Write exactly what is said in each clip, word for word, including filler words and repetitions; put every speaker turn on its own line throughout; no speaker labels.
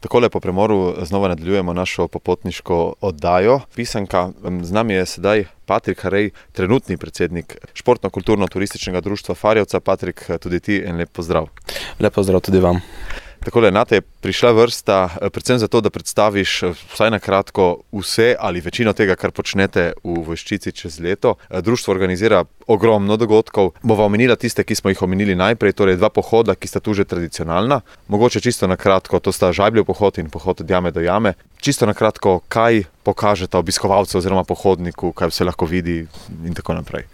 Takole po premoru znova nadaljujemo našo popotniško oddajo. Pisanka, z nami je sedaj Patrik Harej, trenutni predsednik Športno-kulturno-turističnega društva Farjevca. Patrik, tudi ti en lep pozdrav.
Lep pozdrav tudi vam.
Takole, nate je prišla vrsta predvsem zato, da predstaviš vsaj na kratko vse ali večino tega, kar počnete v Vojščici čez leto. Društvo organizira ogromno dogodkov. Bova omenila tiste, ki smo jih omenili najprej, torej dva pohoda, ki sta tu že tradicionalna. Mogoče čisto na kratko, to sta Žabljev pohod in pohod od jame do jame. Čisto na kratko, kaj pokažeta obiskovalcu oziroma pohodniku, kaj vse lahko vidi in tako naprej.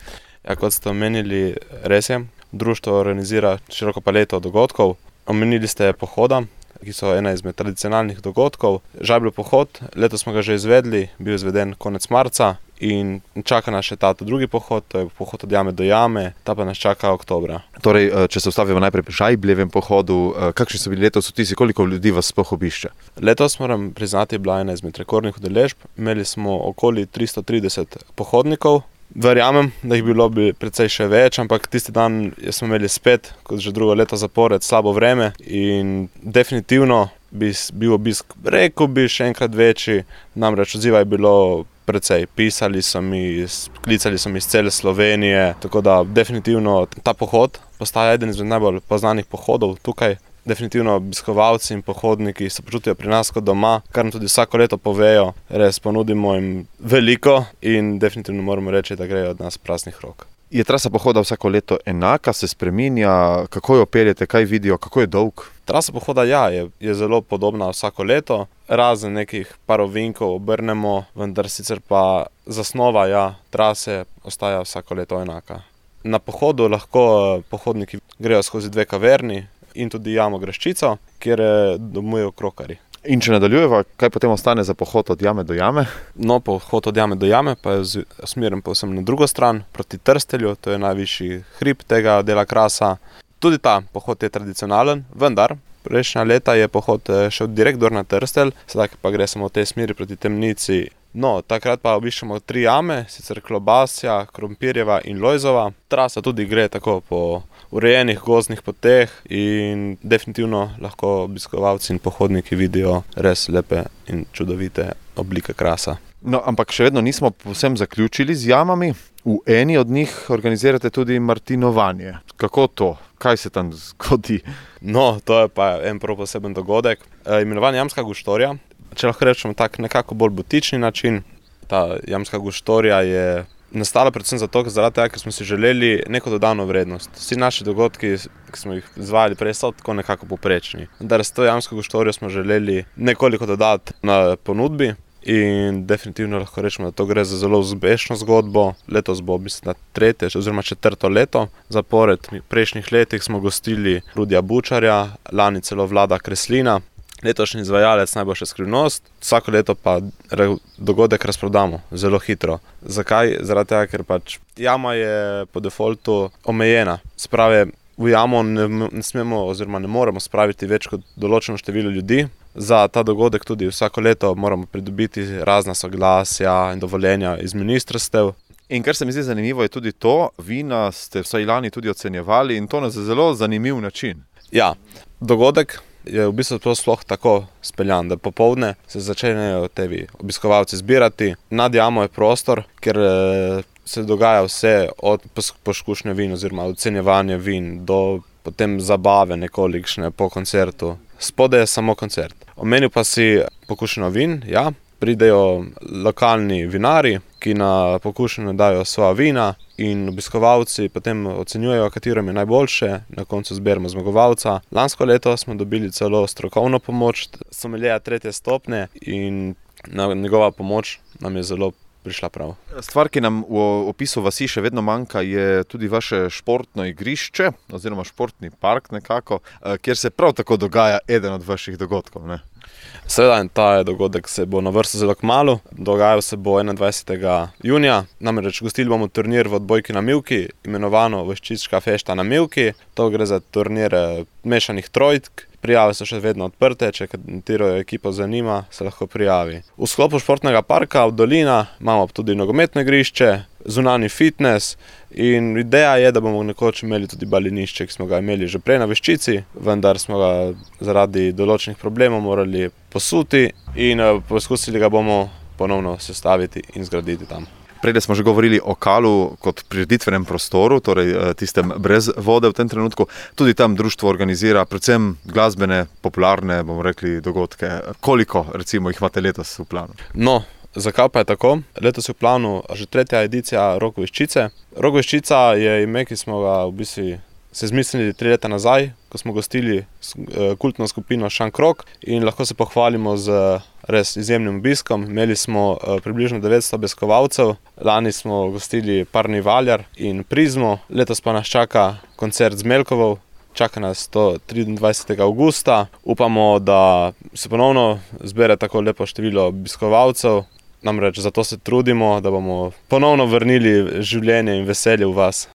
Ja, kot ste omenili, res je, društvo organizira široko paleto dogodkov. Omenili ste pohoda, ki so ena izmed tradicionalnih dogodkov. Žabljev pohod, letos smo ga že izvedli, bil izveden konec marca in čaka nas še ta drugi pohod, to je pohod od jame do jame, ta pa nas čaka oktobra.
Torej, če se ustavimo najprej pri Žabljevem pohodu, kakšni so bili letos vtisi, koliko ljudi vas sploh obišče?
Letos, moram priznati, je bila ena izmed rekordnih udeležb. Imeli smo okoli tristo trideset pohodnikov. Verjamem, da jih bilo bi precej še več, ampak tisti dan smo imeli spet, kot že drugo leto zapored, slabo vreme in definitivno bi bil obisk, rekel bi, še enkrat večji, namreč odziva je bilo precej. Pisali so mi, klicali so mi iz cele Slovenije, tako da definitivno ta pohod postaja eden izmed najbolj poznanih pohodov tukaj. Definitivno obiskovalci in pohodniki se počutijo pri nas kot doma, kar nam tudi vsako leto povejo, res ponudimo jim veliko in definitivno moramo reči, da grejo od nas praznih rok.
Je trasa pohoda vsako leto enaka, se spreminja, kako jo peljete, kaj vidijo, kako je dolg?
Trasa pohoda ja, je, je zelo podobna vsako leto, razen nekih par ovinkov obrnemo, vendar sicer pa zasnova ja, trase ostaja vsako leto enaka. Na pohodu lahko pohodniki grejo skozi dve kaverni in tudi jamo Graščico, kjer domujejo krokarji.
In če nadaljujeva, kaj potem ostane za pohod od jame do jame?
No, pohod od jame do jame pa je usmerjen povsem na drugo stran, proti Trstelju, to je najvišji hrib tega dela Krasa. Tudi ta pohod je tradicionalen, vendar prejšnja leta je pohod šel direkt dol na Trstelj, sedaj pa gre samo v tej smeri proti Temnici. No, takrat pa obiščemo tri jame, sicer Klobasja, Krompirjeva in Lojzova. Trasa tudi gre tako po urejenih gozdnih poteh in definitivno lahko obiskovalci in pohodniki vidijo res lepe in čudovite oblike Krasa.
No, ampak še vedno nismo povsem zaključili z jamami. V eni od njih organizirate tudi martinovanje. Kako to? Kaj se tam zgodi?
No, to je pa en prav poseben dogodek. E, imenovan Jamska guštorija. Če lahko rečemo tak nekako bolj butični način, ta Jamska guštorija je nastala predvsem zato, zaradi tega, ker smo si želeli neko dodano vrednost. Vsi naši dogodki, ki smo jih izvajali prej, so tako nekako poprečni. Vendar s to Jamsko guštorijo smo želeli nekoliko dodati na ponudbi in definitivno lahko rečemo, da to gre za zelo uspešno zgodbo. Letos bo, mislim, na tretje oziroma četrto leto zapored. V prejšnjih letih smo gostili Rudija Bučarja, lani celo Vlada Kreslina. Letošnji izvajalec Najboljša skrivnost, vsako leto pa dogodek razprodamo zelo hitro. Zakaj? Zaradi tega, ker pač jama je po defaultu omejena. Sprave, v jamo ne, ne smemo oziroma ne moremo spraviti več kot določeno število ljudi. Za ta dogodek tudi vsako leto moramo pridobiti razna soglasja in dovoljenja iz ministrstev.
In kar se mi zdi zanimivo je tudi to, vina ste vsaj lani tudi ocenjevali in to na zelo zanimiv način.
Ja, dogodek je v bistvu sploh tako speljan, da popoldne se začnejo tevi obiskovalci zbirati. Nad jamo je prostor, kjer se dogaja vse od poskušnje vin oziroma ocenjevanje vin do potem zabave nekolikšne po koncertu. Spodaj je samo koncert. Omenil pa si pokušnjo vin, ja. Pridejo lokalni vinari, ki na pokušnjo dajo svoja vina in obiskovalci potem ocenjujejo, katero je najboljše, na koncu zberemo zmagovalca. Lansko leto smo dobili celo strokovno pomoč someljeja tretje stopnje in njegova pomoč nam je zelo prišla prav.
Stvar, ki nam v opisu vasi še vedno manjka, je tudi vaše športno igrišče oziroma športni park nekako, kjer se prav tako dogaja eden od vaših dogodkov, ne?
Seveda, ta dogodek se bo na vrstu zelo kmalu, dogajal se bo enaindvajsetega junija, namreč gostili bomo turnir v odbojki na mivki, imenovano Vojščička fešta na mivki. To gre za turnir mešanih trojk prijave so še vedno odprte, če katero ekipo zanima, se lahko prijavi. V sklopu športnega parka v Dolina imamo tudi nogometno igrišče, zunanji fitness in ideja je, da bomo nekoč imeli tudi balinišče, ki smo ga imeli že prej na Veščici, vendar smo ga zaradi določenih problemov morali posuti in poskusili ga bomo ponovno sestaviti in zgraditi tam.
Prej smo že govorili o Kalu kot prireditvenem prostoru, torej tistem brez vode v tem trenutku. Tudi tam društvo organizira predvsem glasbene, popularne, bomo rekli, dogodke. Koliko recimo jih imate letos v planu?
No, zakaj pa je tako? Letos je v planu že tretja edicija Rock Veščice. Rock Veščica je ime, ki smo ga v bistvu se zmislili tri leta nazaj, ko smo gostili kultno skupino Šank Rock in lahko se pohvalimo z res izjemnim obiskom. Imeli smo približno devetsto obiskovalcev, lani smo gostili Parni Valjar in Prizmo, letos pa nas čaka koncert z Melkovov, čaka nas to triindvajsetega avgusta. Upamo, da se ponovno zbere tako lepo število obiskovalcev, namreč zato se trudimo, da bomo ponovno vrnili življenje in veselje v vas.